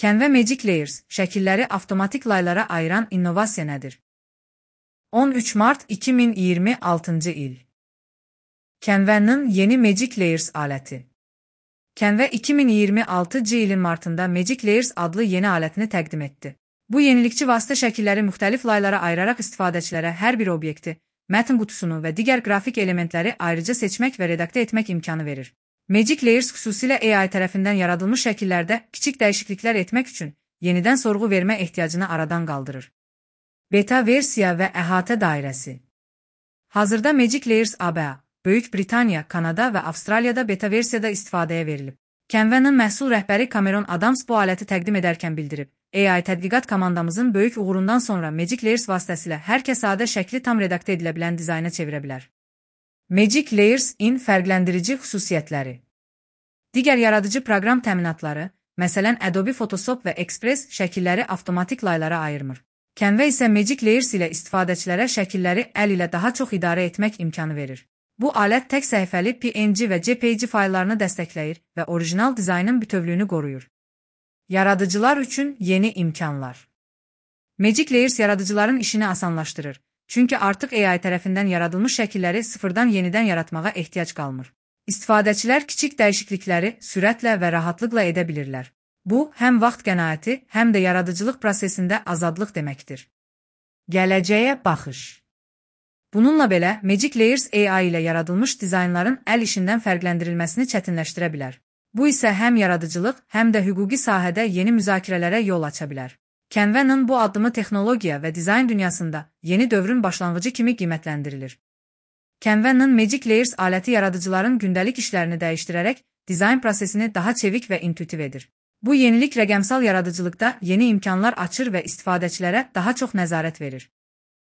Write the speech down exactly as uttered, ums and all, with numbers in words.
Canva Magic Layers, şəkilləri avtomatik laylara ayıran innovasiya nədir? on üç mart iki min iyirmi altıncı il. Canva'nın yeni Magic Layers aləti. Canva iki min iyirmi altıncı ilin martında Magic Layers adlı yeni alətini təqdim etdi. Bu yenilikçi vasitə şəkilləri müxtəlif laylara ayıraraq istifadəçilərə hər bir obyekti, mətn qutusunu və digər qrafik elementləri ayrıca seçmək və redaktə etmək imkanı verir. Magic Layers xüsusilə A I tərəfindən yaradılmış şəkillərdə kiçik dəyişikliklər etmək üçün yenidən sorğu vermə ehtiyacını aradan qaldırır. Beta versiya və əhatə dairəsi. Hazırda Magic Layers A B A, Böyük Britaniya, Kanada və Avstraliyada beta versiyada istifadəyə verilib. Canva'nın məhsul rəhbəri Cameron Adams bu aləti təqdim edərkən bildirib. A I tədqiqat komandamızın böyük uğurundan sonra Magic Layers vasitəsilə hər kəs sadə şəkli tam redaktə edilə bilən dizayna çevirə bilər. Magic Layers-in fərqləndirici xüsusiyyətləri. Digər yaradıcı proqram təminatları, məsələn Adobe Photoshop və Express şəkilləri avtomatik laylara ayırmır. Canva isə Magic Layers ilə istifadəçilərə şəkilləri əl ilə daha çox idarə etmək imkanı verir. Bu alət tək səhifəli P N G və J P G fayllarını dəstəkləyir və orijinal dizaynın bütövlüyünü qoruyur. Yaradıcılar üçün yeni imkanlar. Magic Layers yaradıcıların işini asanlaşdırır. Çünki artıq A I tərəfindən yaradılmış şəkilləri sıfırdan yenidən yaratmağa ehtiyac qalmır. İstifadəçilər kiçik dəyişiklikləri sürətlə və rahatlıqla edə bilirlər. Bu, həm vaxt qənaəti, həm də yaradıcılıq prosesində azadlıq deməkdir. Gələcəyə baxış. Bununla belə, Magic Layers A I ilə yaradılmış dizaynların əl işindən fərqləndirilməsini çətinləşdirə bilər. Bu isə həm yaradıcılıq, həm də hüquqi sahədə yeni müzakirələrə yol aça bilər. Canva'nın bu addımı texnologiya və dizayn dünyasında yeni dövrün başlanğıcı kimi qiymətləndirilir. Canva'nın Magic Layers aləti yaradıcıların gündəlik işlərini dəyişdirərək dizayn prosesini daha çevik və intuitiv edir. Bu yenilik rəqəmsal yaradıcılıqda yeni imkanlar açır və istifadəçilərə daha çox nəzarət verir.